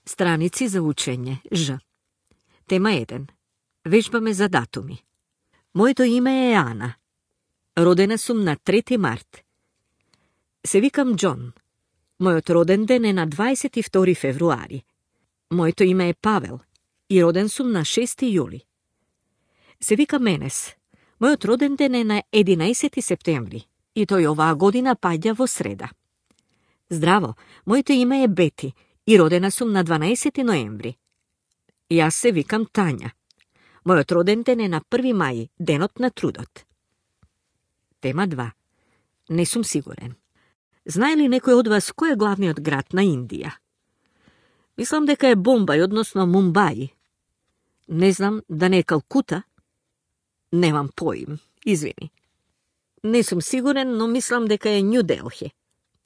Stranici za učenje, Ž. Tema 1. Vežbame za datumi. Моето име е Ана. Родена сум на 3 март. Се викам Джон. Мојот роден ден е на 22 февруари. Моето име е Павел и роден сум на 6 јули. Се викам Енес. Мојот роден ден е на 11 септември и тој оваа година паѓа во среда. Здраво, моето име е Бети и родена сум на 12 ноември. Јас се викам Тања. Мојот роден ден е на 1 мај, денот на трудот. Тема 2. Не сум сигурен. Знае ли некој од вас кој е главниот град на Индија? Мислам дека е Бомбај, односно Мумбај. Не знам да не е Калкута. Немам поим, извини. Не сум сигурен, но мислам дека е Њу Делхи.